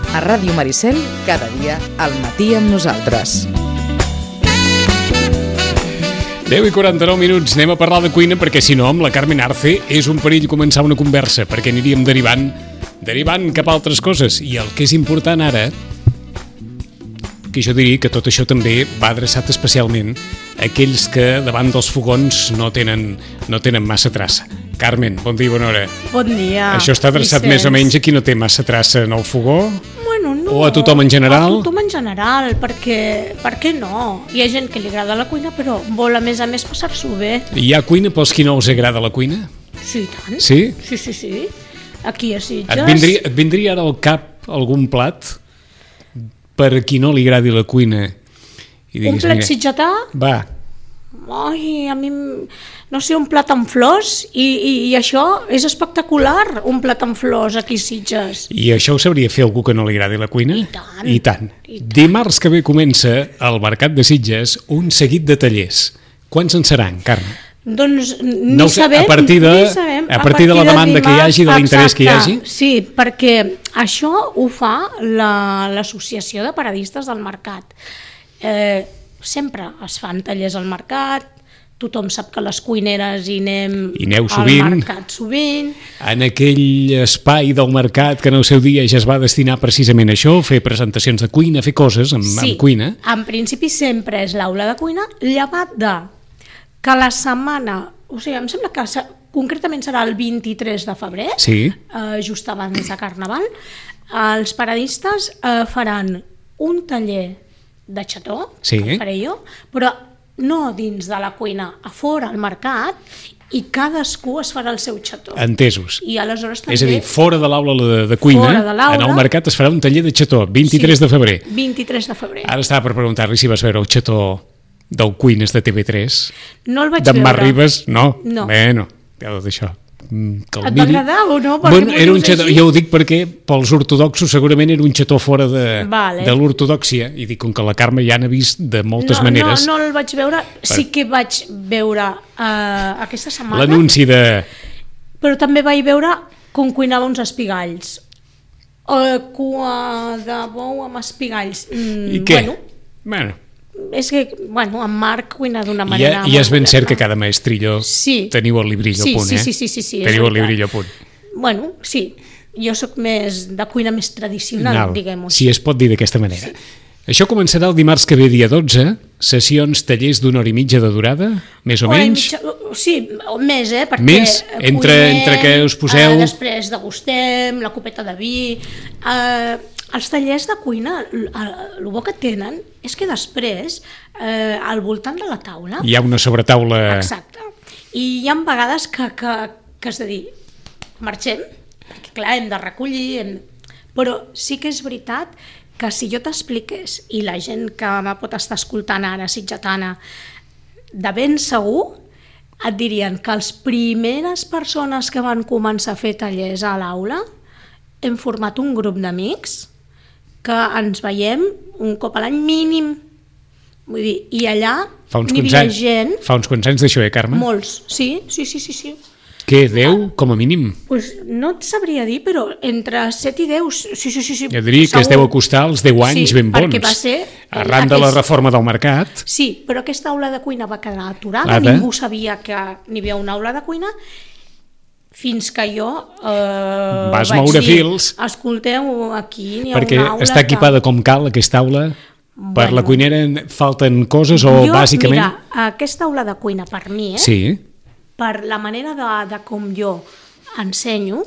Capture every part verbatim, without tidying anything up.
A Ràdio Maricel, cada dia al matí amb nosaltres. deu i quaranta-nou minuts, anem a parlar de cuina perquè si no amb la Carmen Arce és un perill començar una conversa perquè aniríem derivant derivant cap a altres coses i el que és important ara, que jo diria que tot això també va adreçat especialment a aquells que davant dels fogons no tenen, no tenen massa traça. Carmen, bon dia i bona hora. Bon dia. Això està adreçat Vicenç. Més o menys a qui no té massa traça en el fogó? Bueno, no. O a tothom en general? A tothom en general, perquè, per què no? Hi ha gent que li agrada la cuina, però vol a més a més passar-s'ho bé. Hi ha cuina pels qui no els agrada la cuina? Sí, tant. Sí? Sí, sí, sí. Aquí a Sitges... Et vindria, et vindria ara al cap algun plat per a qui no li agradi la cuina? I diguis, un plat mira, sitgetà? Va. Ai, a mi, no sé, un plat amb flors i, i, i això és espectacular, un plat amb flors aquí a Sitges. I això ho sabria fer algú que no li agradi la cuina? I tant. I tant. I tant. Dimarts que ve comença al Mercat de Sitges un seguit de tallers. Quants en seran, Carme? Doncs ni no sé, sabem, a partir de, ni sabem, a partir de la demanda dimarts, que hi hagi, de l'interès que hi hagi? Sí, perquè això ho fa l'Associació la, de Paradistes del Mercat. Eh, sempre es fan tallers al mercat, tothom sap que les cuineres hi anem I aneu al sovint, mercat sovint. En aquell espai del mercat que en el seu dia ja es va destinar precisament a això, fer presentacions de cuina, fer coses amb, sí, amb cuina. En principi sempre és l'aula de cuina, llevat de que la setmana, o sigui, em sembla que concretament serà el vint-i-tres de febrer, sí. eh, just abans de Carnaval, els paradistes eh, faran un taller de xató, sí. que faré jo, però no dins de la cuina, a fora, al mercat, i cadascú es farà el seu xató. Entesos. I aleshores també... És a dir, fora de l'aula de, de cuina, en el mercat es farà un taller de xató, vint-i-tres de febrer. vint-i-tres de febrer. Ara estava per preguntar-li si vas veure el xató del Cuines de T V tres. No el vaig veure. D'en Mar Ribes, no? No. Bueno, ja d'això. Et va agradar o no? Bueno, era un xató, jo ho dic perquè pels ortodoxos segurament era un xató fora de, vale. de l'ortodoxia, i dic, com que la Carme ja n'ha vist de moltes no, maneres... No, no el vaig veure, sí que vaig veure uh, aquesta setmana... L'anunci de... Però també vaig veure com cuinava uns espigalls. Uh, cua de bou amb espigalls. Mm, I què? Bueno, bueno. És que, bueno, en Marc cuina d'una manera... I, i és ben cert que cada maestrillo sí. teniu el librillo sí, a punt, sí, eh? Sí, sí, sí, sí, teniu el librillo a punt. Bueno, sí. Jo sóc més de cuina més tradicional, Nal, diguem-ho. Si es pot dir d'aquesta manera. Sí. Això començarà el dimarts que ve, dia dotze, sessions, tallers d'una hora i mitja de durada, més o Hora menys? Mitja, sí, més, eh? Perquè més? Entre, cuinem, entre que us poseu... Eh, després degustem, la copeta de vi... Eh, els tallers de cuina, el bo que tenen és que després, eh, al voltant de la taula... Hi ha una sobretaula... Exacte. I hi ha vegades que, que, que has de dir, marxem, perquè clar, hem de recollir, hem... però sí que és veritat que si jo t'expliqués, i la gent que me pot estar escoltant ara, sitgetana, de ben segur, et dirien que les primeres persones que van començar a fer tallers a l'aula hem format un grup d'amics que ens veiem un cop a l'any mínim. Vull dir, i allà n'hi havia anys, gent... Fa uns quants anys d'això, eh, Carme? Molts, sí, sí, sí, sí. sí. Què, deu, com a mínim? Pues no et sabria dir, però entre set i deu, sí, sí, sí. sí jo diria que es deu acostar als deu anys sí, ben bons. perquè va ser... Arran de la reforma del mercat. Sí, però aquesta aula de cuina va quedar aturada, Lada. Ningú sabia que n'hi havia una aula de cuina, fins que jo eh, vas vaig moure dir, fils, escolteu, aquí n'hi ha perquè una aula està equipada que... com cal aquesta aula. Bueno, per la cuinera falten coses o jo, bàsicament... Mira, aquesta aula de cuina per mi, eh? Sí. Per la manera de, de com jo ensenyo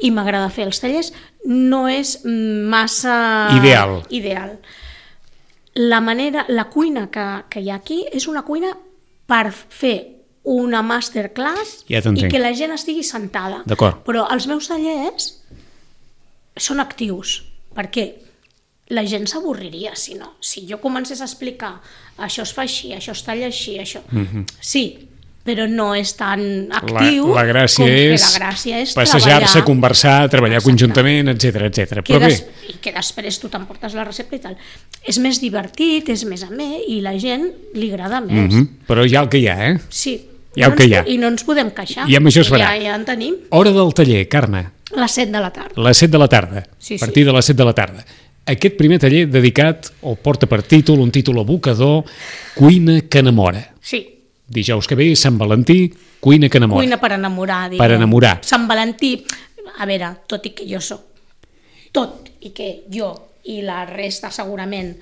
i m'agrada fer els tallers, no és massa... Ideal. Ideal. La manera, la cuina que, que hi ha aquí és una cuina per fer una masterclass ja i que la gent estigui sentada. D'acord. Però els meus tallers són actius, perquè la gent s'avorriria, si no. Si jo comencés a explicar això es fa així, això es talla així, això... Mm-hmm. Sí, però no és tan actiu la, la gràcia com és que la gràcia és passejar-se, conversar, treballar Exacte. conjuntament, etcètera, etcètera. Però des, bé... I que després tu t'emportes la recepta i tal. És més divertit, és més amè i la gent li agrada més. Mm-hmm. Però hi ha el que hi ha, eh? Sí. Hi ha no el que hi ha. I no ens podem queixar. I amb això es farà. Ja, ja en tenim. Hora del taller, Carme. A les set de la tarda. A les set de la tarda, Sí, a partir sí. de les set de la tarda. Aquest primer taller dedicat, o porta per títol, un títol evocador, Cuina que enamora. Sí, Dijous que ve, Sant Valentí, Cuina que enamora. cuina per enamorar. Diguem. Per enamorar. Sant Valentí, a veure, tot i que jo soc, tot i que jo i la resta segurament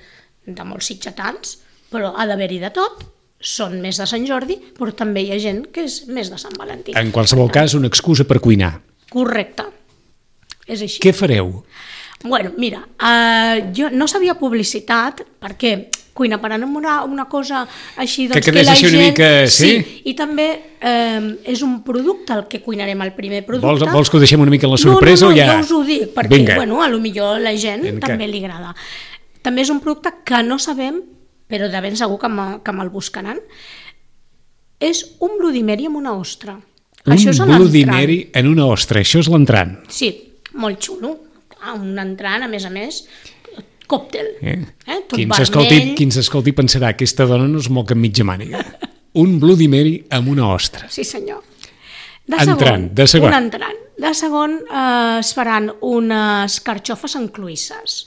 de molts sitgetans, però ha d'haver-hi de tot, són més de Sant Jordi, però també hi ha gent que és més de Sant Valentí. En qualsevol cas, una excusa per cuinar. Correcte, és així. Què fareu? Bueno, mira, uh, jo no sabia publicitat perquè cuina per enamorar, una cosa així doncs, Que quedés la així una gent... mica, sí? Sí, i també eh, és un producte el que cuinarem, el primer producte. Vols, vols que ho deixem una mica en la sorpresa no, no, no, o ja? ja us ho dic, perquè Vinga. bueno, a lo millor la gent Vinga. també li agrada. També és un producte que no sabem, però de ben segur que, me, que me'l buscaran. És un Bloody Mary amb una ostra. Un Això és Bloody l'entrant. Mary en una ostra, això és l'entrant. Sí, molt xulo. Ah, un entrant, a més a més, còctel. Eh? Eh? Tot Qui ens vermell. escolti, qui ens escolti pensarà aquesta dona no es moc amb mitja màniga. Un Bloody Mary amb una ostra. Sí, senyor. De Entrant, segon, de segon. Un entrant. De segon eh, es faran unes carxofes en cloïsses.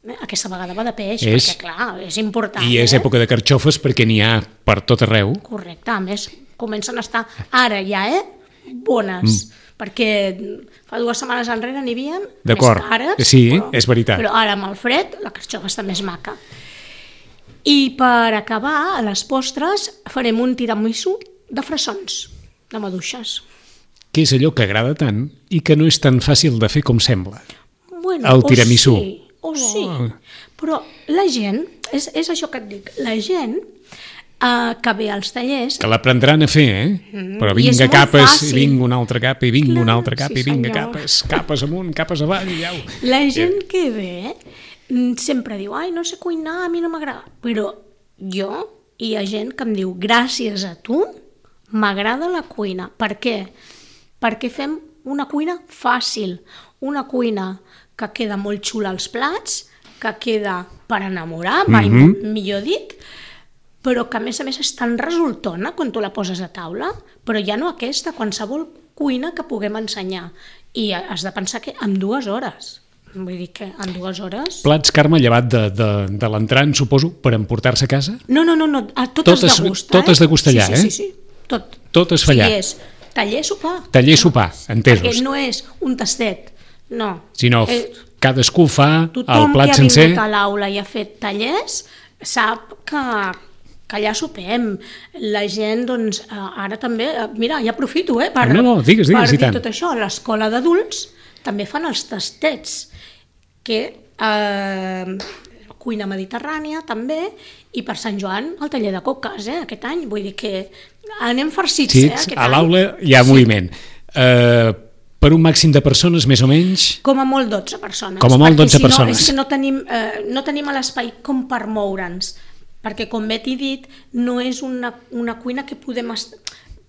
Eh, Aquesta vegada va de peix, És- perquè clar, és important. I és eh? època de carxofes perquè n'hi ha per tot arreu. Correcte, a més, comencen a estar ara ja, eh? Bones. Mm. Perquè fa dues setmanes enrere n'hi havia D'acord. més cares. Sí, és veritat. Però ara amb el fred la carxofa està més maca. I per acabar, a les postres, farem un tiramisú de fressons, de maduixes. Que és allò que agrada tant i que no és tan fàcil de fer com sembla. Bueno, El tiramisú. O sí, o sí. Oh. Però la gent, és, és això que et dic, la gent eh, que ve als tallers... Que l'aprendran a fer, eh? Mm, Però i és vinga molt capes, fàcil. i vinga una altra capa, i vinga Clar, una altra capa, sí, i vinga senyor. capes, capes amunt, capes avall, i au. La gent que ve mm, sempre diu, ai, no sé cuinar, a mi no m'agrada. Però jo, hi ha gent que em diu, gràcies a tu, m'agrada la cuina. Per què? Perquè fem una cuina fàcil, una cuina que queda molt xula als plats, que queda per enamorar, mai Mhm. millor dit, però que a més a més és tan resultona quan tu la poses a taula, però ja no aquesta, qualsevol cuina que puguem ensenyar. I has de pensar que en dues hores, vull dir que en dues hores... Plats, Carme, llevat de, de, de l'entrant, suposo, per emportar-se a casa? No, no, no, no a tot, Tot es es- degusta. tot eh? es degusta allà, sí, eh? sí, sí, sí, tot. Tot es fa allà. Sí, és taller sopar. Taller sopar, entesos. Perquè no és un tastet, no. Sinó Eh, cadascú fa el Tothom plat que ha sencer. vingut a l'aula i ha fet tallers sap que, que allà sopem. La gent, doncs, eh, ara també... eh, Mira, ja aprofito, eh, per, No, no, digues, digues, per i dir tant. tot això. A l'escola d'adults també fan els tastets, que eh, cuina mediterrània també, i per Sant Joan el taller de coques, eh, aquest any. Vull dir que anem farcits, Sí, eh, aquest a any. l'aula hi ha Sí. moviment. Eh, per un màxim de persones, més o menys... Com a molt dotze persones. Com a molt perquè dotze si no, persones. És que no tenim, eh, no tenim l'espai com per moure'ns, perquè com bé t'he dit, no és una, una cuina que podem est...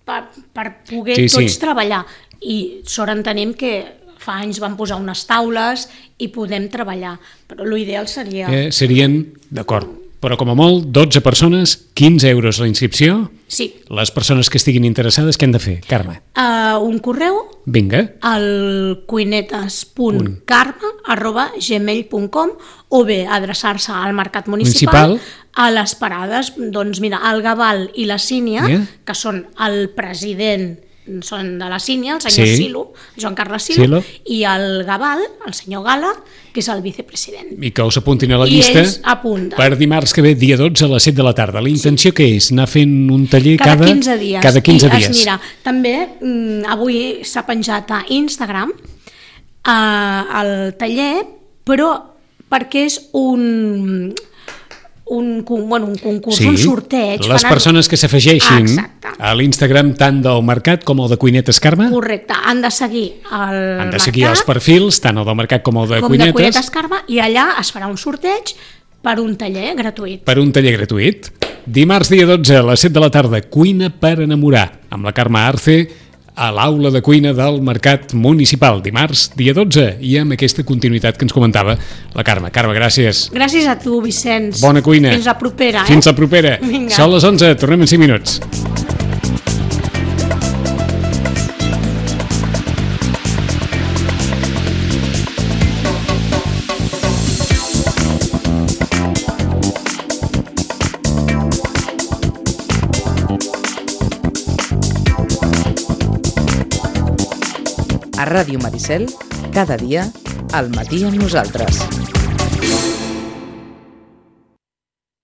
per, per poder Sí, sí, tots sí. treballar. I sort entenem que fa anys van posar unes taules i podem treballar, però l'ideal seria... Eh, serien, d'acord, però com a molt, dotze persones, quinze euros la inscripció. Sí, Les persones que estiguin interessades, què han de fer, Carme? uh, un correu Vinga. al cuinetes punt carme arroba gmail punt com o bé adreçar-se al Mercat Municipal, Municipal. a les parades, doncs mira, el Gabal i la Sínia, Yeah. que són el president són de la Sínia, el senyor Sí. Silo, Joan Carles Silo, Silo. i el Gabal, el senyor Gala, que és el vicepresident. I que us apuntin a la I llista ells apunten. per dimarts que ve, dia dotze a les set de la tarda. La intenció que és? Anar fent un taller Cada, cada... quinze dies. Cada quinze I dies. Es mira, també mm, avui s'ha penjat a Instagram eh, el taller, però perquè és un, un, con- bueno, un concurs, un sorteig. les Fan- persones que s'afegeixin Exacte. a l'Instagram tant del Mercat com el de Cuinetes Carme Correcte, han de seguir el han de seguir Mercat, els perfils, tant el del Mercat com el de com Cuinetes, de Cuinetes Carme, i allà es farà un sorteig per un taller gratuït. per un taller gratuït. Dimarts dia dotze a les set de la tarda, Cuina per enamorar, amb la Carme Arce a l'aula de cuina del Mercat Municipal. Dimarts, dia dotze, i amb aquesta continuïtat que ens comentava la Carme. Carme, gràcies. Gràcies a tu, Vicenç. Bona cuina. Fins la propera. Fins eh? la propera. Vinga. Són les onze, tornem en cinc minuts. A Ràdio Maricel, cada dia, al matí amb nosaltres.